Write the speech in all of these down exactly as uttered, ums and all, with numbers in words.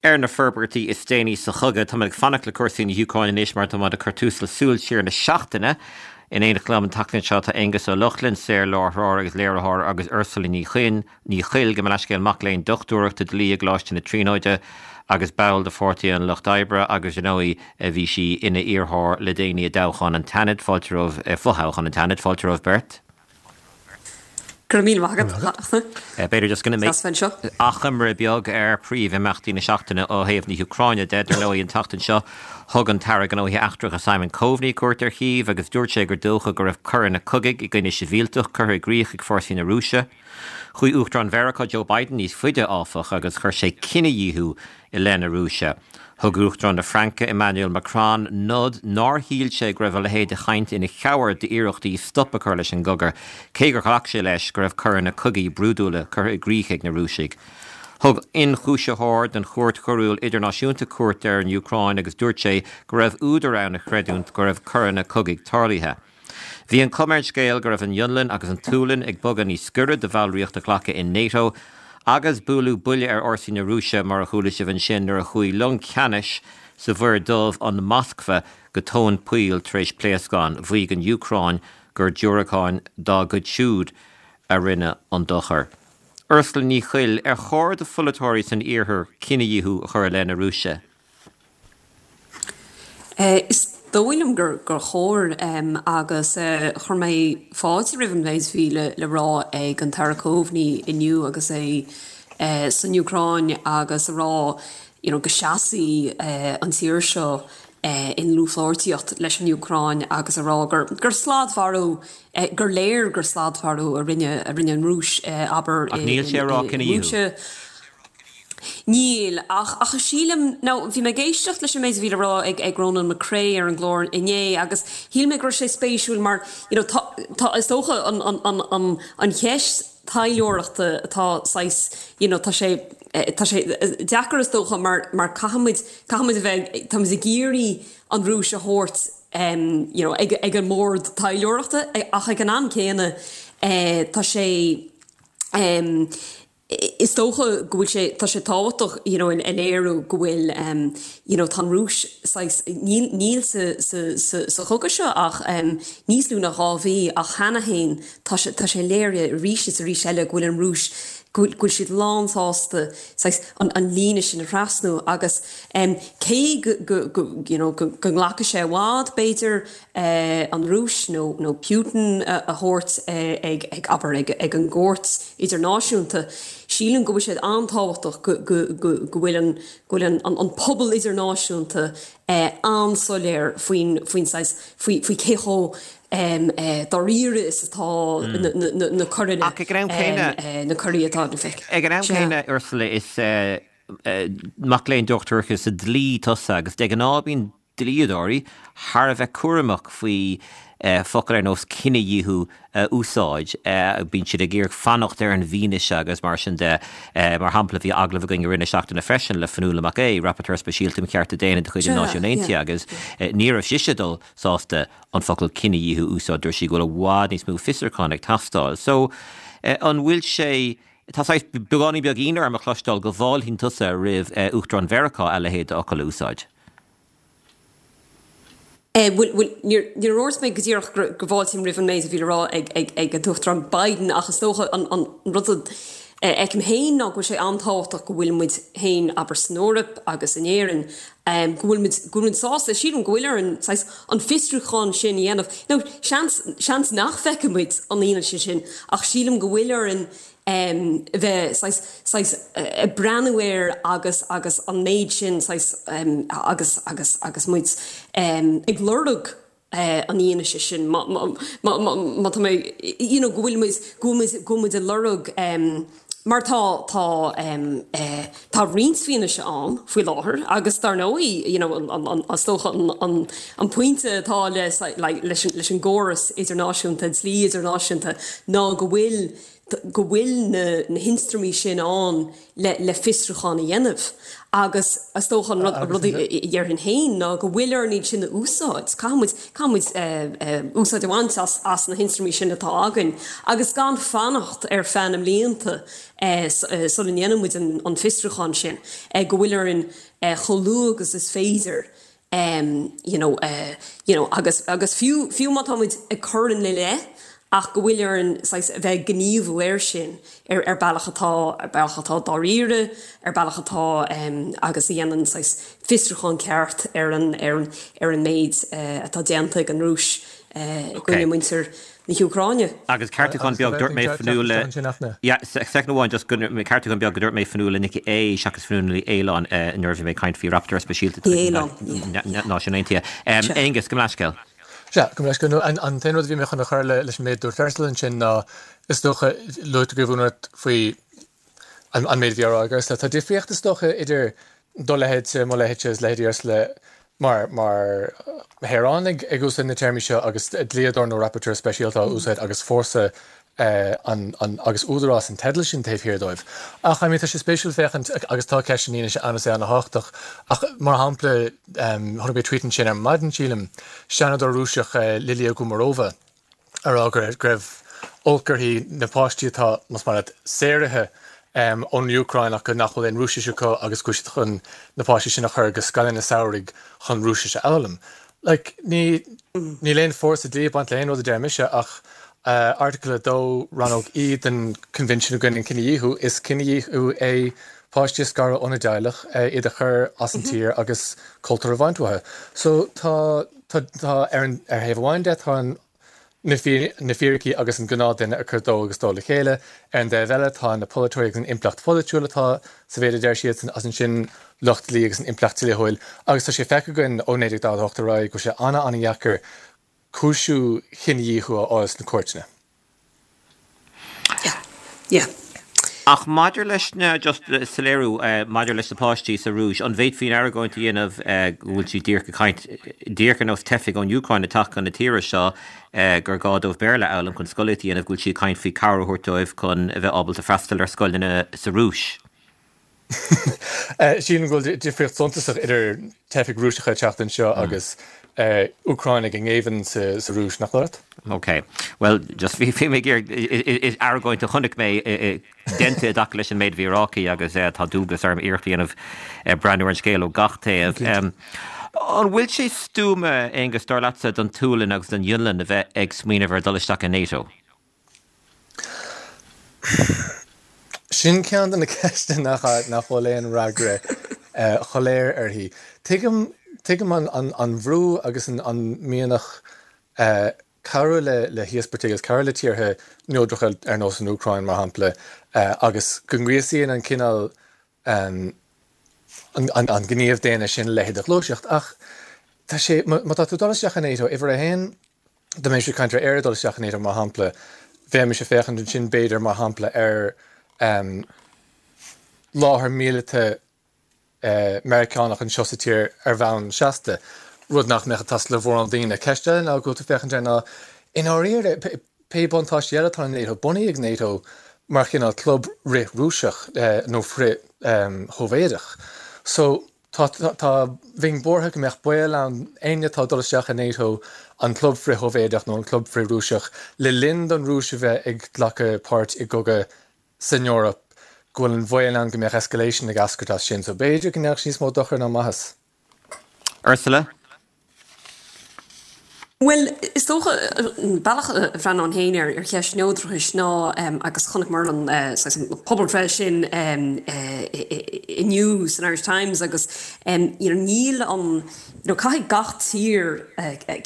Ar na forbairtí is déanaí sa chogadh, tá ag fanacht le cúrsaí na hÚcráine anois mar tá ag cur tús le Súil Siar na seachtaine. In éineacht liom an tseachtain seo tá Aengus Ó Lochlainn, saorláithreoir agus léiritheoir agus Ursula Ní Chuinn Ní Chuill go leiscéal mac léinn dochtúireachta dlí i gColáiste na Tríonóide agus ball de Pháirtí an Lucht Oibre agus you know, bhí sí ina iarrthóir le déanaí i dtoghchán an tSeanaid fáilte romhaibh fothoghchán an tSeanaid fáilte romhaibh beirt. Gur mí agad. B'fhéidir just go achoimre beag ar príomhimeachtaí na seachtaine ó thaobh na hÚcráine de dar ndóigh an tseachtain seo thug an tAire Gnóthaí Eachtracha Simon Coveney cuairt ar Chív agus dúirt sé gur dócha go raibh coireanna cogaidh i gcoinne sibhialtach curtha i gcrích ag fórsaí na Rúise. Chuaigh Uachtarán Mheiriceá Joe Biden níos faide áfach agus chuir sé cinedhíothú i leith na Rúise. Thug Uachtarán na Fraince Emmanuel Macron nod nár shíl sé go raibh a leithéid de chaint ina chabhair d'iarrachtaí stop a chur leis an gcogadh, cé gur ghlac sé leis go raibh coireanna cogaidh brúidiúla curtha i gcrích ag na Rúisigh. Thug ionchúisitheoir den Chúirt Choiriúil Idirnáisiúnta cuairt ar an Úcráin agus dúirt sé go raibh údar ann a chreidiúint go raibh coireanna cogaidh tarlaithe. Bhí an chuma ar an scéal go raibh an Fhionlainn agus an tSualainn ag bogadh níos gaire do bhallraíocht a ghlacadh in NATO, agus bualadh buille ar fhórsaí na Rúise mar a chuala sibh ansin nuair a chuaigh long ceannais sa Mhuir Dhubh an Moskva go tóin poill tar éis pléascáin, mhaígh an Úcráin gur diúracáin dá gcuid siúd a rinne an dochar. Ursula Ní Chuill ar chóir do pholaiteoirí san iarthar cinedhíothú a chur i leith na Rúise. Is dóigh liom gur gur chóir um, agus uh, chuir mé fáilte roimh an méid bhí le, le rá ag an tAire Coveney inniu agus é uh, san Úcráin agus a rá you know, go seasfaidh uh, an tír seo uh, in dlúthpháirtíocht leis an Úcráin agus a rá gur, gur sladmharú uh, gur léir gur sladmharú a rinne a rinne an Rúis uh, aber níl sé rá cinedhíothú. Níl ach ach sílim nó bhí mé ag éisteacht leis an méid bhí le rá ag ag Ronan McCrea ar an gclár inné agus shíl mé go raibh sé spéisiúil mar you know, tá, tá is dócha an, an, an, an, an cheist taidhleoireachta atá sais you know, tá sé tá sé deacair is dócha mar mar caithfimid caithfimid a bheith tá ag iarraidh an Rúis a thabhairt um, you know, ag, ag an mbord taidhleoireachta ach ag an am céanna eh, tá sé um, Is dócha go bhfuil sé tá sé tábhachtach you know, a léiriú go bhfuil um, you know, tá Rúis níl, níl sa, sa, sa, sa chogadh seo ach um, níos lú ná dhá mhí ach cheana féin tá sé tá sé léirithe arís is arís eile go bhfuil an Rúis go bhfuil siad lánsásta an, an líne sin a thrasnú agus um, cé go, go, go, you know, go, go nglacfaidh sé i bhfad b'fhéidir uh, an Rúis nó, nó Putin a, a thabhairt uh, ag, ag aber ag, ag an gcúirt idirnáisiúnta. Sílim go bhfuil sé an-tábhachtach go, go, go, go bhfuil an, go bhfuil an, an, an pobal idirnáisiúnta eh, an-soiléir faoin faoin faoi faoi cé chomh um, eh, dáiríre is atá mm. na, na, na coireanna ag an am céanna eh, na coirí atá na feic. Ag an am céanna Ursula is uh, uh, mac léinn dochtúireachta sa dlí tusa agus de ghnáth bíonn dlíodóirí thar a bheith cúramach faoi uh, focail ar nós cinedhíothú uh, úsáid uh, bíonn siad ag iarraidh fanacht ar an bhfianaise agus mar sin de uh, mar shampla bhí agallamh againn i rith na seachtaine freisin le Fionnuala Mac Aodha, rapporteur speisialta um chearta daonna de chuid na Náisiúin Aontaithe agus uh, ní raibh sise dul sásta an focal cinedhíothú úsáid dúirt sí go bhfuil i bhfad níos mó fiosrúchán ag teastáil. So uh, an bhfuil sé Tá beagáinín beag ionadh orm a chloisteáil go bhfáiltíonn tusa roimh uh, Uachtarán Mheiriceá a leithéid d'fhocal a úsáid. Eh, Níor dúirt mé go díreach go bhfáiltím roimh an méid a bhí le rá ag ag ag an Uachtarán Biden ach is dócha an, an rud feicim féin ná go bhfuil sé an-tábhachtach go bhfuil muid féin aber san Eoraip agus in Éirinn um, go bhfuil muid go bhfuil sásta sílim go bhfuil ar an, an fiosrúchán sin a dhéanamh. No, seans, seans nach bhfeicfidh muid an fhianaise sin ach sílim go bhfuil ar an um, bheith sais uh, breathnú air agus agus an méid sin um, agus agus agus muid um, ag lorg uh, an fhianaise sin má tá mé you know, go bhfuil muid go bhfuil muid ag lorg um, mar tá tá um, uh, tá roinnt fianaise ann faoi láthair agus dar ndóigh you know, an, an, an, an, an, an pointe atá le like, leis, leis an gcóras idirnáisiúnta dlí idirnáisiúnta ná go bhfuil go bhfuil na, na hionstraimí sin ann le, le fiosrúchán a dhéanamh. Agus is dócha an rud, rud a dhéarfainn féin ná go bhfuil orainn iad sin a úsáid. Caithfimid, caithfimid uh, uh, úsáid a bhaint as, as na hionstraimí sin atá againn. Agus gan fanacht ar feadh na mblianta uh, sula ndéanaimid an, an fiosrúchán sin, uh, go bhfuil orainn uh, chomh luath agus is féidir. Um, you know, uh, you know, agus, agus fiú, fiú má táimid ag cur ina leith, ach go bhfuil orainn a bheith gníomhú air sin ar ar bealach atá ar bealach atá dáiríre, ar bealach atá um, agus a dhéanann fiosrúchán ceart ar an ar an ar an méid uh, atá déanta ag an Rúis uh, i gcoinne muintir na hÚcráine. Agus ceartúchán beag dúirt mé Fionnuala Second amháin just ceartúchán beag go dúirt mé Fionnuala Nic Aodha seachas Fionnuala Ní Aoláin nuair a bhí mé ag caint faoi rapporteur speisialta Náisiúin Aontaithe. Aonghus gabh mo leithscéal. Sea, gabh mo leithscéal an t-aon rud a bhí mé chun a chur leis an méid a dúirt Ursula ansin ná is dócha luaigh tú go faoi an méid a bhí á rá ag Ursula. Tá difríocht is dócha idir do leithéid mo leithéid is leithéidí Ursula mar mar shaoránaigh ag úsáid na téarmaí seo agus dlíodóir nó rapporteur speisialta á úsáid agus fórsa an, an, agus údarás an teidil sin taobh thiar dóibh. Ach I mean, tá sé spéisiúil féachaint agus tá ceist an fhianaise ann is é an-tábhachtach. Ach mar shampla um, chonaic mé tweet ansin ar maidin sílim seanadóir Rúiseach uh, Lilia Gumerova a rá go raibh olc uirthi na páistí atá más mar saoraithe um, ón Úcráin ach nach bhfuil aon Rúisis acu agus go chun na páistí sin a chur go scoileanna samhraidh chun Rúisis a fhoghlaim. Like, ní níl aon fórsa dlí ag baint le aon rud a deir mise ach uh, Article a dó rannóg E den Convention i gcoinne an Cinedhíothú is cinedhíothú é páistí a scaradh óna dteaghlach uh, iad a chur as an tír agus cultúr a bhaint uathu. So tá tá tá ar an ar thaobh amháin de tá an na fíricí agus an gnáthduine ag cur dó agus dó le chéile, ar an dtaobh eile tá na polaiteoirí agus an impleacht pholaitiúil atá sa mhéid a deir siad as ansin lucht dlí agus an impleacht dlíthiúil, agus tá sé feicthe againn ó naoi déag daichead a hocht ar aghaidh go bhfuil sé an-an-dheacair cúisiú cinedhíothú a fháil sna cúirteanna. Yeah. Yeah. Ach maidir leis na just soiléiriú maidir leis na páistí sa Rúis, an bhféadfaí an argóint a dhéanamh go bhfuil siad díreach ag caint díreach ar nós teifigh ón Úcráin ag teacht chun na tíre seo gur gá dóibh Béarla a fhoghlaim chun scolaíocht a dhéanamh go bhfuil siad ag caint faoi cabhair a thabhairt dóibh chun a bheith ábalta freastal ar scoileanna sa Rúis. Sílim go bhfuil difríocht suntasach idir teifigh Rúiseacha ag teacht anseo agus Úcránaigh i ngéibheann sa Rúis nach leat? Ok, well just bhí bhí mé is argóint a chonaic mé déanta i dtaca leis an méid a bhí ráite agus tá dualgas orm iarracht a dhéanamh breathnú ar an scéal ó gach taobh. An bhfuil sé stuama Aonghus dar leatsa don tSualainn agus don Fhionlainn a bheith ag smaoineamh ar dul isteach i NATO? Sin ceann de na ceisteanna nach nach bhfuil aon fhreagra shoiléir uirthi. Tuigim Tuigim an an bhrú agus an an mianach cabhrú le le híospartaigh agus cabhrú le tíortha neodracha ar nós an Úcráin mar shampla agus go ngríosaíonn an cineál an an gníomh daonna sin a leithéid de ghluaiseacht. Ach tá sé má tá tú dul isteach i NATO, uimhir a haon, dá mbeimis ag caint ar Éire dul isteach i NATO mar shampla, bheimis ag féachaint ansin b'fhéidir mar shampla ar láthair míleata Meiriceánach anseo sa tír ar bhonn seasta, rud nach mbeadh ag teastáil ó mhórán daoine. Ceist eile ná go bhfuil tú ag féachaint air ná, i ndáiríre, pé buntáistí eile atá in NATO, bunaíodh NATO mar chineál club frith-Rúiseach nó frith-Shóivéadach. So, tá, tá, bheinn buartha go mbeadh baol ann éinne atá ag dul isteach i NATO, an club frith-Shóivéadach nó an club frith-Rúiseach, le linn don Rúis a bheith ag glacadh páirt i gcogadh san Eoraip, go bhfuil an baol ann go mbeadh escalation ag eascairt as sin, so b'fhéidir go ndéanfadh sé níos mó dochair ná maitheas. Ursula? Bhuel, is dócha, an bealach a bhreathnaím féin ar ar cheist neodrachais ná, agus chonaiceamar an saghas an pobalbhreith sin inniu san Irish Times agus you know níl an you know caithfidh gach tír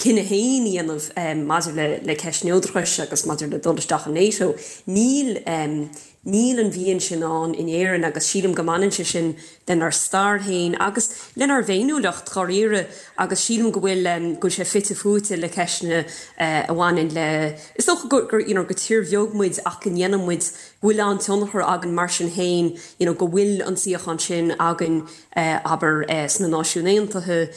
cinneadh féin a dhéanamh maidir le le ceist neodrachais agus maidir le dul isteach in NATO. Níl Níl an mhian sin ann in Éirinn agus sílim go mbaineann sé sin lenár stair féin agus lenár bhféiniúlacht dháiríre agus sílim go bhfuil go bhfuil sé fite fuaite le ceisteanna a bhaineann le is dócha gur gur you know gur tír bheag muid ach go ndéanann muid go bhfuil an-tionchar againn mar sin féin you know go bhfuil an suíochán sin againn abair sna Náisiúin Aontaithe.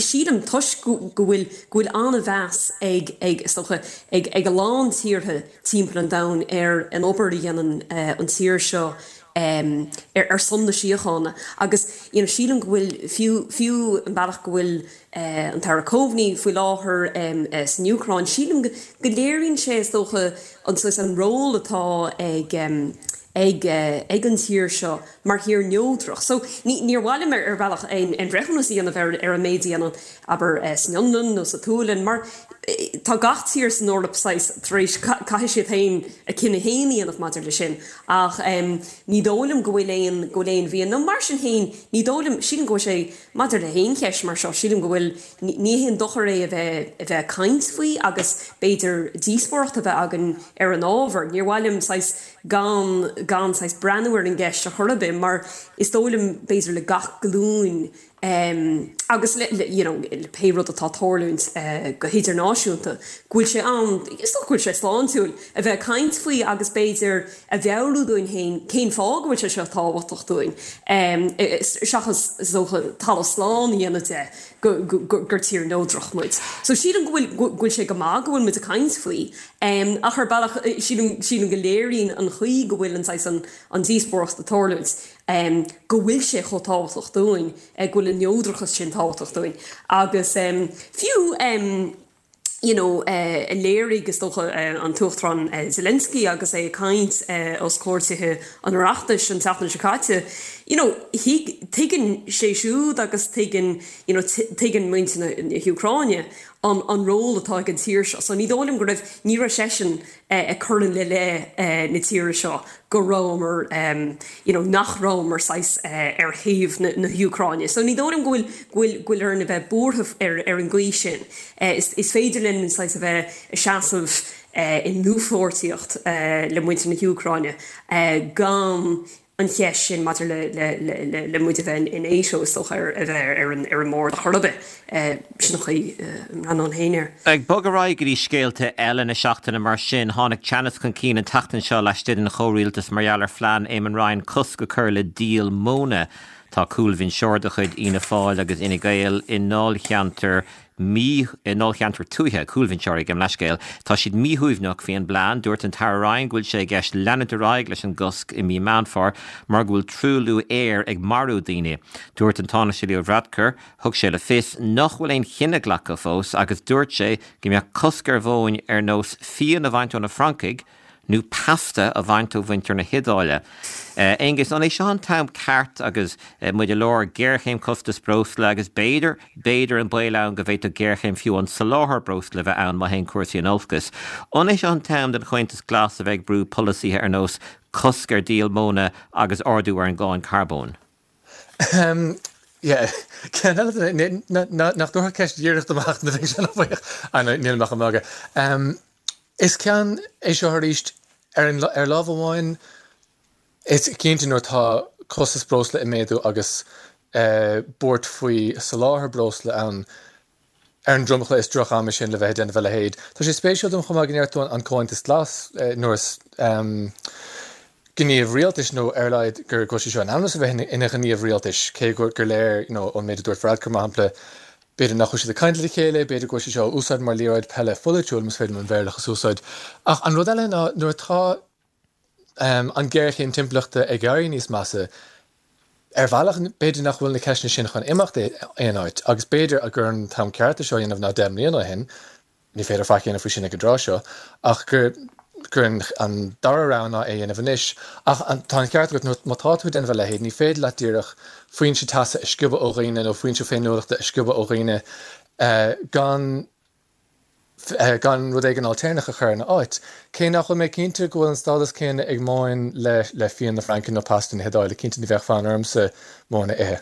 Sílim toisc go bhfuil go bhfuil an-mheas ag ag is dócha ag ag a lán tíortha timpeall an domhain ar an obair a dhéanann an tír seo ar ar son na síochána agus you know sílim go bhfuil fiú fiú an bealach go bhfuil an tAire Coveney faoi láthair san Úcráin sílim go léiríonn sé is dócha an an ról atá ag ag ag an tír seo mar thír neodrach. So ní níor mhaith liom ar bhealach aon aon bhreithiúnas a dhéanamh ar ar an méid a dhéanann abair san Fhionlainn nó sa tSualainn mar tá gach tír san Eoraip saghas tar éis caithfidh siad féin a cinneadh féin a dhéanamh maidir le sin ach um, ní dóigh liom go bhfuil aon go bhfuil aon mhian nó mar sin féin ní dóigh liom sílim go bhfuil sé maidir le haon cheist mar seo sílim go bhfuil ní haon dochar é a bheith a bheith ag caint faoi agus b'fhéidir díospóireacht a bheith againn ar an ábhar. Níor mhaith liom saghas gan gan saghas breathnú ar an gceist a chor ar bith mar is dóigh liom b'fhéidir le gach glúin um, agus le, le, you know, le pé rud atá ag tarlúint uh, go hidirnáisiúnta, go bhfuil sé an is go bhfuil sé sláintiúil a bheith caint faoi agus b'fhéidir a mheabhrú dúinn féin cén fáth go bhfuil sé seo tábhachtach dúinn. Um, seachas dócha talamh slán a dhéanamh de go, go, go, gur tír neodrach muid. So sílim go bhfuil go bhfuil sé go maith go bhfuil muid ag caint faoi. Um, ach ar bealach sílim sílim go léiríonn an chaoi go bhfuil an saghas an, an díospóireacht ag tarlúint. Um, go bhfuil sé chomh tábhachtach dúinn go bhfuil an neodrachas sin tábhachtach dúinn. Agus um, fiú um, you know, uh, léirigh is dócha uh, an tUachtarán uh, Zelensky agus é ag caint uh, os comhair Tithe an Oireachtais an tseachtain seo caite. You know, tuigeann sé siúd agus tuigeann you know, tuigeann muintir na hÚcráine an, an ról atá ag an tír seo. So ní dóigh liom go raibh ní raibh seisean ag cur le le na tíre seo go rabhamar um, you know, nach rabhamar saghas uh, ar thaobh na, na hÚcráine. So ní dóigh liom go bhfuil go bhfuil orainn a bheith buartha ar, ar an gcaoi sin. Uh, is, is féidir linn saghas a bheith ag seasamh uh, i ndlúthpháirtíocht uh, le muintir na hÚcráine uh, gan an cheist sin maidir le, le, le, le, le muid a bheith in NATO is dócha ar a bheith ar an ar an mbord chor ar bith sin an chaoi an an héir. Ag bogadh ar aghaidh go dtí scéalta eile na seachtaine mar sin tháinig teannas chun cinn an tseachtain seo laistigh den chomhrialtas mar gheall ar phlean Eamon Ryan cosc a chur le díol móna. Tá cúlbhinseoir de chuid Fhianna Fáil agus Fhine Gael i ndáilcheantar mí i ndáilcheantar tuaithe cúlbhinseoirí gabh mo leithscéal. Tá siad míshuaimhneach faoin bplean, dúirt an tAire Ryan go bhfuil sé i gceist leanúint ar aghaidh leis an gcosc i mí Meán Fómhair mar go bhfuil truailliú aeir ag marú daoine. Dúirt an Tánaiste Leo Varadkar, thug sé le fios nach bhfuil aon chinneadh glactha fós agus dúirt sé go mbeadh cosc ar mhóin ar nós fíon a bhaint ó na Francaigh, nó pasta a bhaint ó mhuintir na hIodáile. Aonghus an é seo an t-am ceart agus muid i lár géarchéim costas breosla agus b'fhéidir b'fhéidir an baol ann go bhféadfadh géarchéim fiú an soláthar breosla bheith ann má théann cúrsaí in olcas. An é seo an t-am don Chomhaontas Glas a bheith ag brú polasaithe ar nós cosc ar dhíol móna agus ardú ar an gcáin carbóin. Um, yeah. Nach dúirt ceist dhíreach amach na bhí sin níl amach an Um, is ceann é seo arís ar an ar lámh amháin is cinnte nuair atá costas breosla ag méadú agus uh, buairt faoi soláthar breosla ann ar an dromchla is droch-am é sin le bheith déanamh a leithéid. Tá sé spéisiúil dom chomh maith go ndeir tú an Comhaontas Glas uh, nuair is um, gníomh rialtais nó ar leid gur go seo an amnas a bheith ina ghníomh rialtais cé gur gur léir you know, ón méid a dúirt Varadkar mar shampla B'fhéidir nach bhfuil siad ag caint le chéile, b'fhéidir go bhfuil sé seo úsáid mar liathróid peile pholaitiúil más féidir an Bhéarlachas a úsáid. Ach an rud eile ná nuair atá um, an géarchéim timpeallachta ag éirí níos measa, ar bhealach b'fhéidir nach bhfuil na ceisteanna sin chun imeacht aon áit, agus b'fhéidir a gur an t-am ceart seo dhéanamh ná deich mbliana ó shin, ní féidir faic a dhéanamh faoi sin ag an dtráth seo, ach gur gur an dara rogha ná é dhéanamh anois. Ach tá an ceart agat má tá tú ag déanamh a leithéid, ní féidir leat díreach foinse teasa a sciobadh ó dhaoine nó foinse féiniúlachta a sciobadh ó dhaoine uh, gan uh, gan rud éigin ailtéarnach a chur ina áit. Cé nach bhfuil mé cinnte go bhfuil an stádas céanna ag móin le le fíon na Fraince nó pasta na hIodáile, cinnte ní bheadh fonn ormsa móin a ithe.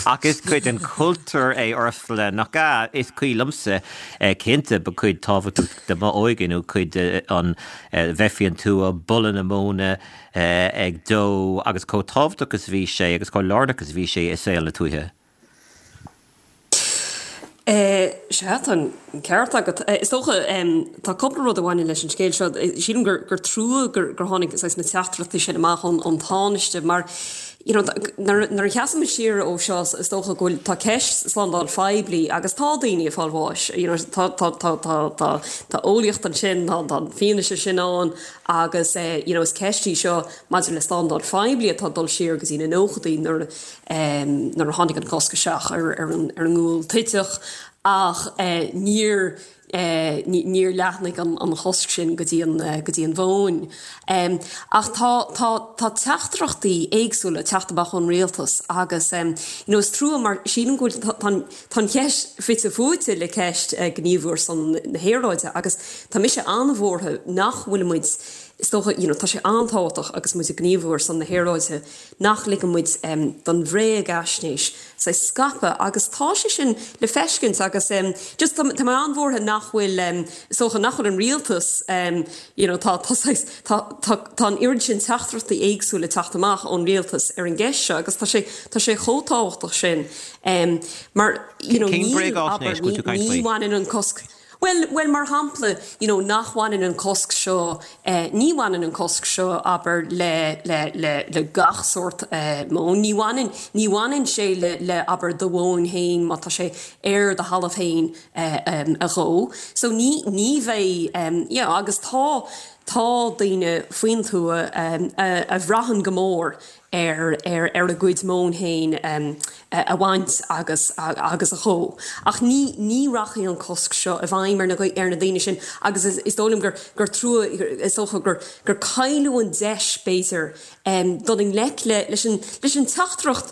Ach is cuid den chultúr é Ursula nach ea is cuimhin liomsa cinnte ba cuid tábhachtach de m'óige nó cuid an bheith faoin tuath boladh na móna ag dó agus chomh tábhachtach is bhí sé agus chomh lárnach is bhí sé i saol na tuaithe. Sea tá an ceart agat. Is dócha tá cúpla rud a bhaineann leis an scéal seo. Sílim gur gur trua gur gur tháinig saghas na teachtaireachtaí sin amach ón ón Tánaiste mar you know, nuair a sheasann siar ó seo is dócha go bhfuil tá ceist slándáil phoiblí agus tá daoine ag fáil bháis. You know, tá tá tá tá tá tá eolaíocht ansin tá tá fianaise sin ann agus eh, you know, is ceist í seo maidir le slándáil phoiblí atá dul siar go dtí na nóchaidí nuair um, nuair a tháinig an cosc isteach ar ar an ar an ngual toiteach ach eh, níor eh, níor leathnaigh an, an chosc sin go dtí an, eh, go dtí an mhóin. Um, ach tá, tá, tá teachtaireachtaí éagsúla teacht amach ón rialtas agus um, you know, is trua mar sílim go bhfuil tá tá an cheist fite fuaite le ceist uh, gníomhú ar son na haeráide agus tá mise an-bhuartha nach bhfuil muid is dócha you know, tá sé an-tábhachtach agus muid ag gníomhú ar son na haeráide nach ligeann muid um, don bhréagaisnéis sa scaipeadh agus tá sé sin le feiscint agus um, just tá tá an-bhuartha nach bhfuil um, is dócha nach bhfuil an rialtas um, you know, tá tá tá tá tá an oiread sin teachtaireachtaí éagsúla teacht amach ón rialtas ar an gceist seo agus tá sé tá sé chomh tábhachtach sin um, mar you know, Cén níl bréagaisnéis abair, go bhfuil tú ní caint ní faoi? bhaineann an cosc Well, well mar shampla you know, nach bhaineann an cosc seo eh, ní bhaineann an cosc seo abair le, le, le, le gach sórt eh, móin. Ní bhaineann ní bhaineann sé le, le abair do mhóin féin má tá sé ar do thalamh féin eh, um, a dhó. So ní, ní bheidh um, yeah, agus tá tá daoine faoin tuath um, a, a bhraitheann go mór ar ar ar a gcuid móin féin um, a a bhaint agus a, agus a dhó. Ach ní ní rachaidh an cosc seo i bhfeidhm ar na ar na daoine sin agus is, is dóigh liom gur gur trua is dócha gur gur cailleadh an deis b'fhéidir um, dul i ngleic le leis an leis an teachtaireacht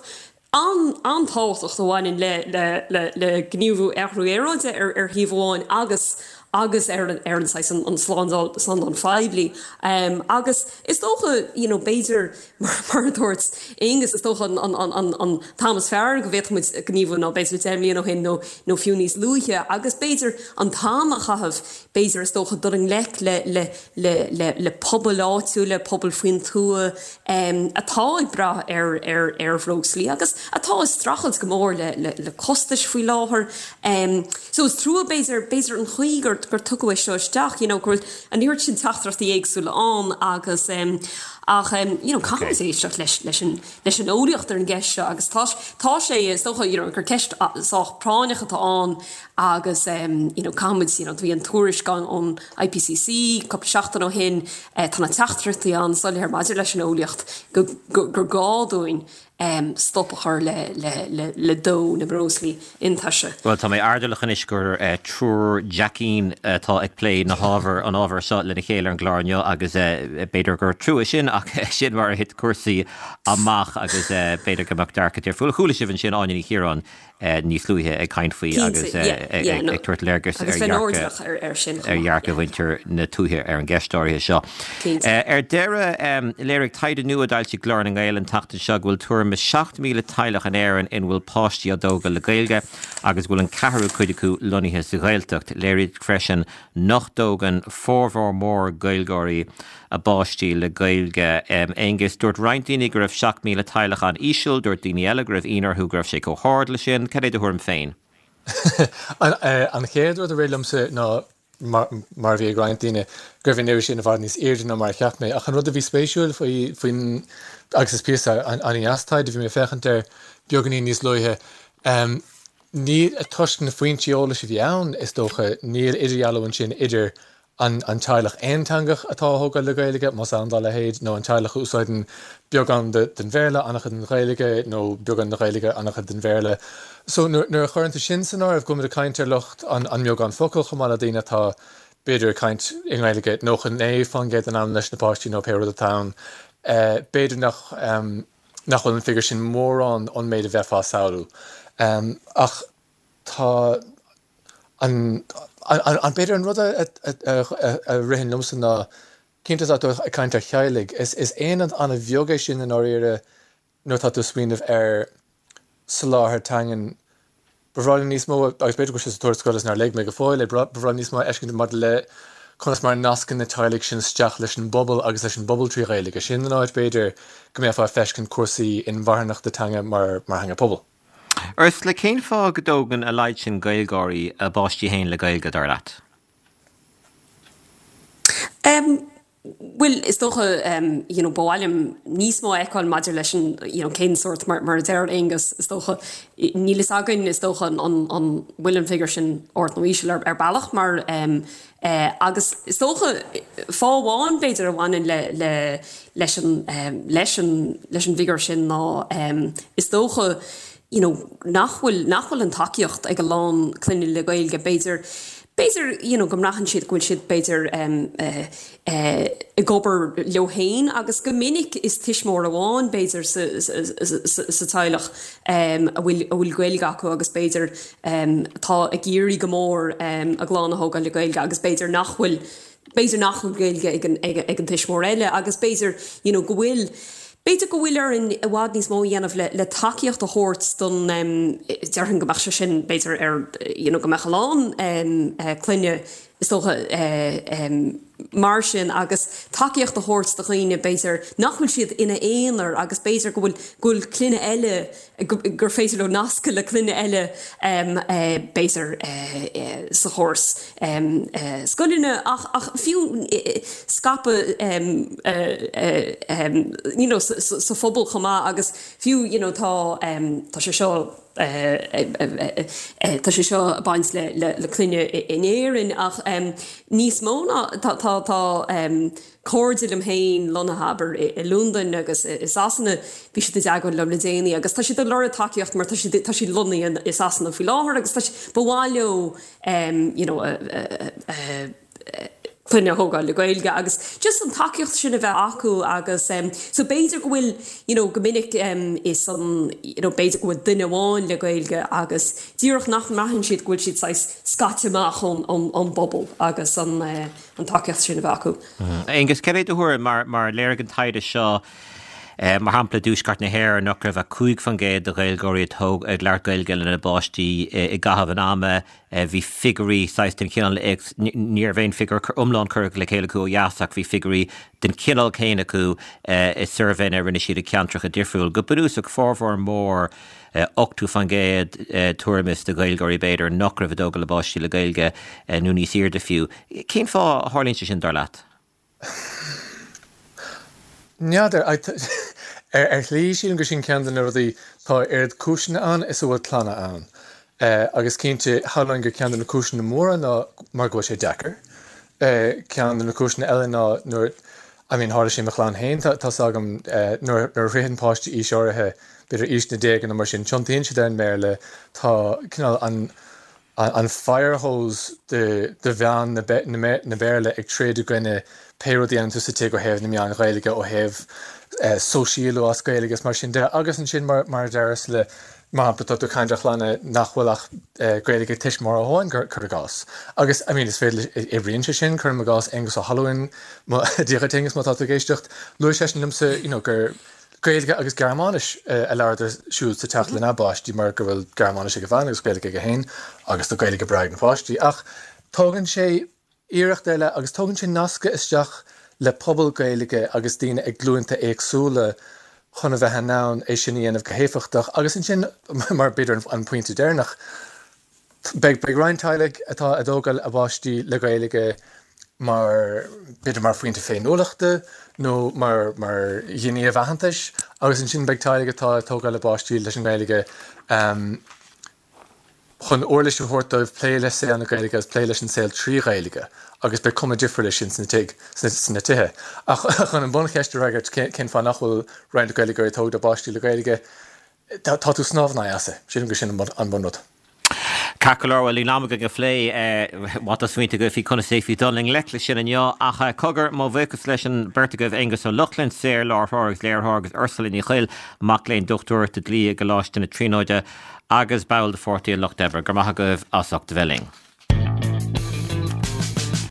an an-tábhachtach a bhaineann le le le le gníomhú athrú aeráide ar ar thaobh amháin agus agus ar an ar an saghas an, an slándáil slándáil phoiblí. Um, agus is dócha you know, b'fhéidir mar mar a dúirt Aonghus is dócha an, an, an, an, an t-am is fearr go bhféadfadh muid gníomhú ná b'fhéidir deich mbliana ó shin nó nó fiú níos luaithe agus b'fhéidir an t-am a chaitheamh b'fhéidir is dócha dul i ngleic le le le le le pobal áitiúil le pobal faoin tuath um, atá ag brath ar ar ar bhreoslaí agus atá ag streachailt go mór le le, le costais faoi láthair. Um, so is trua b'fhéidir b'fhéidir an chaoi gur gur tugadh é seo isteach, you know, gur an oiread sin teachtaireachtaí éagsúla ann agus um, ach um, you know, caithfidh muid éisteacht leis leis an leis an eolaíocht ar an gceist seo agus tá tá sé is dócha you know, gur ceist sách práinneach atá ann agus um, you know, caithfimid you know, bhí an tuairisc ón IPCC cúpla seachtain ó shin eh, tá na teachtaireachtaí an-soiléir maidir leis an eolaíocht go, go, gur gá dúinn um, stop a chur le, le, le, le dó na mbreoslaí iontaise. Well tá mé airdeallach anois gur uh, triúr Jackín atá uh, ag plé na hábhar an ábhar seo lena chéile ar an gclár inniu agus uh, b'fhéidir gur trua sin ach sin mar a thit cúrsaí amach agus uh, b'fhéidir go mbeadh dearcadh difriúil. Chuala sibh ansin Áine Ní Chiaráin uh, níos luaithe ag caint faoi agus ag tabhairt léargas ar ar dhearcadh mhuintir na tuaithe ar an gceist áirithe seo. Ar deireadh léirigh taighde nua a d'fhoilsigh Glór na nGael an tseachtain seo go bhfuil tuairim seacht míle teaghlach in Éirinn ina bhfuil páistí á dtógáil le Gaeilge agus bhfuil an ceathrú cuid acu lonnaithe sa Ghaeltacht. Léirigh freisin nach dtógann formhór mór Gaeilgeoirí a bpáistí le Gaeilge. Um, Aonghus dúirt roinnt daoine go raibh seacht míle teaghlach an-íseal, dúirt daoine eile go raibh ionadh orthu go raibh sé chomh hard le sin, cad é do thuairim féin? An chéad rud a rith liomsa ná mar, mar bhí ag roinnt daoine gur bhí sin i bhfad níos airde ná mar a cheap mé ach an rud a bhí spéisiúil faoi faoin agus is píosa an-deas taighde bhí mé féachaint ar beagáinín níos luaithe. Um, ní toisc na foinsí eolais a bhí ann is dócha níl idirdhealú ansin idir an, an teaghlach aonteangach atá á thógáil le Gaeilge más ann dá leithéid nó an teaghlach a úsáideann beagán den Bhéarla an-chuid den Ghaeilge nó beagán den Ghaeilge an-chuid den Bhéarla. So nuair a chuireann tú sin san áireamh go ag caint ar lucht an, an mbeagán focal chomh maith le daoine atá b'fhéidir caint i nGaeilge nócha naoi faoin gcéad den am leis na páistí nó pé rud atá ann. Uh, b'fhéidir nach um, nach bhfuil an figiúr sin mórán ón méid a bheifeá ag samhlú. Um, ach tá an an, an b'fhéidir an rud a, a, a, a ritheann liomsa ná cinnte tá tú ag caint ar theaghlaigh is is aonad an-bheag é sin in áirithe nuair tá tú smaoineamh ar soláthar teangan Ba bhreá liom níos mó, agus b'fhéidir go bhfuil sé sa tuarascáil is nár léigh mé go fóill é, ba bhreá liom níos mó a fheiscint maidir le conas mar a nascann na teaghlaigh sin isteach leis an bpobal agus leis an bpobal trí Ghaeilge. Sin an áit, b'fhéidir, go mbeifeá ag feiscint cúrsaí inmharthanachta teanga mar theanga pobail. Ursula, cén fáth go dtógann a laghad sin Gaeilgeoirí a bpáistí féin le Gaeilge, dar leat? Bhuel, is dócha, you know, ba mhaith liom níos mó a fheiceáil maidir leis an, you know, cén sórt, mar, mar a deir Aonghus, is dócha, níl fhios againn, is dócha, an, an, an bhfuil an figiúr sin ard nó íseal ar, ar bealach mar, eh, agus is dócha, fáth amháin b'fhéidir a bhaineann le, le, leis an, leis an, leis an bhfigiúr sin ná, is dócha, you know, nach bhfuil, nach bhfuil an tacaíocht ag a lán clainne le Gaeilge, b'fhéidir, b'fhéidir, you know, go mbraitheann siad go bhfuil siad, b'fhéidir, em, eh, eh, ag obair leo féin agus go minic is tuismitheoir amháin, b'fhéidir, sa, sa, sa, sa teaghlach, em, a bhfuil, a bhfuil Gaeilge acu agus b'fhéidir, em, atá ag iarraidh go mór, em, a gclann a thógáil le Gaeilge agus b'fhéidir nach bhfuil, b'fhéidir nach bhfuil Gaeilge ag an, ag, ag an tuismitheoir eile agus b'fhéidir, you know, go bhfuil, B'fhéidir go bhfuil orainn i bhfad níos mó a dhéanamh le le tacaíocht a thabhairt don déarfainn go mbeadh sé sin b'fhéidir ar you know go mbeadh a lán clainne is dócha mar sin agus tacaíocht a thabhairt do dhaoine b'fhéidir nach bhfuil siad ina aonar agus b'fhéidir go bhfuil go bhfuil clainne eile gur féidir leo nascadh le clainne eile b'fhéidir sa chóras scoileanna ach ach fiú scaipeadh you know sa phobal chomh maith agus fiú you know tá tá sé seo tá sé seo ag baint le le clainne in Éirinn ach níos mó ná tá tá tá cairde liom féin lonnaithe abair i Londain agus i Sasana, bhí siad i dteagmháil liom le déanaí agus tá siad ag lorg tacaíocht mar tá siad tá siad lonnaithe i Sasana faoi láthair agus tá ba mhaith leo you know a clainne a thógáil le Gaeilge agus just an tacaíocht sin a bheith acu agus so b'fhéidir go bhfuil you know go minic is an you know b'fhéidir go bhfuil duine amháin le Gaeilge agus díreach nach mbraitheann siad go bhfuil siad saghas scaite amach ón ón ón bpobal agus an an tacaíocht sin a bheith acu. Aonghus, céard é do thuairim mar mar léirigh an taighde seo mar shampla i dtuaisceart na hÉireann nach raibh ach cúig faoin gcéad de Ghaeilgeoirí a thóg ag labhairt Gaeilge lena bpáistí i gcaitheamh an ama, bhí figiúirí saghas den chineál ní raibh aon figiúr iomlán curtha le chéile acu ó dheas ach bhí figiúirí den chineál céanna acu i suirbhéanna a rinne siad i gceantracha difriúil. Go bunúsach formhór mór ochtó faoin gcéad tuairim is de Ghaeilgeoirí b'fhéidir nach raibh ag tógáil a bpáistí le Gaeilge nó níos airde fiú. Cén fáth a tharlaíonn sé sin dar leat? N'fheadar. Ar shlí sílim gur sin ceann de na rudaí, tá oiread cúiseanna ann is a bhfuil clanna ann. Agus cinnte, shamhlóinn gur ceann de na cúiseanna móra ná mar go bhfuil sé deacair. Ceann de na cúiseanna eile ná nuair, I mean tharla sé i mo chlann féin, tá's agam, nuair a shroicheann páistí aois áirithe, b'fhéidir aois na déaga nó mar sin, tiontaíonn siad ar an mBéarla, tá cineál an an firehose de de mheán na na Béarla ag troid i gcoinne pé rud a dhéanann tú sa tigh ó thaobh na meáin Ghaeilge, ó thaobh sóisialú as Gaeilge is mar sin de. Agus ansin mar mar a deir Ursula, mar shampla, tá tú ag caint ar chlanna nach bhfuil ach Gaeilge ag tuismitheoir amháin, cuir i gcás. Agus, I mean, is féidir, oibríonn sé sin, cuirim i gcás Aonghus Ó hAlmhain, Dia dhuit Aonghus má tá tú ag éisteacht, luaigh seisean liomsa, you know, gur Gaeilge agus Gearmáinis a labhradar siúd sa teach lena bpáistí mar go bhfuil Gearmáinis ag a bhean agus Gaeilge aige féin agus tá Gaeilge breá ag na páistí. Ach tógann sé iarracht ar leith agus tógann sé nascadh isteach le pobal Gaeilge agus daoine ag glúnta éagsúla chun a bheith in ann é sin a dhéanamh go héifeachtach. Agus ansin, mar b'fhéidir an pointe deireanach, beidh beidh roinnt teaghlaigh atá ag tógáil a bpáistí le Gaeilge mar, b'fhéidir mar phointe féiniúlachta nó mar mar ghníomh aitheantais agus ansin beidh teaghlaigh atá ag tógáil a bpáistí leis an nGaeilge chun uirlis a thabhairt dóibh plé le saol na Gaeilge agus plé leis an saol trí Ghaeilge agus beidh cuma difriúil air sin sna tigh, sna tithe. Ach chun an buncheist a fhreagairt, cén fáth nach bhfuil roinnt Gaeilgeoirí ag tógáil a bpáistí le Gaeilge, tá tú ag snámh in aghaidh easa. Sílim gur sin an bunrud. Ceart go leor, bhuel níl am againn a phlé má tá smaointe agaibh faoi conas d'fhéadfaí dul i ngleic leis sin inniu ach cogar, mo bhuíochas leis an beirt agaibh, Aonghus Ó Lochlainn, saor-láithreoir agus léiritheoir agus Ursula Ní Chuill, mac léinn dochtúireachta dlí i gColáiste na Tríonóide agus ball de Pháirtí an Lucht Oibre. Go raibh maith agaibh as ucht a bheith linn.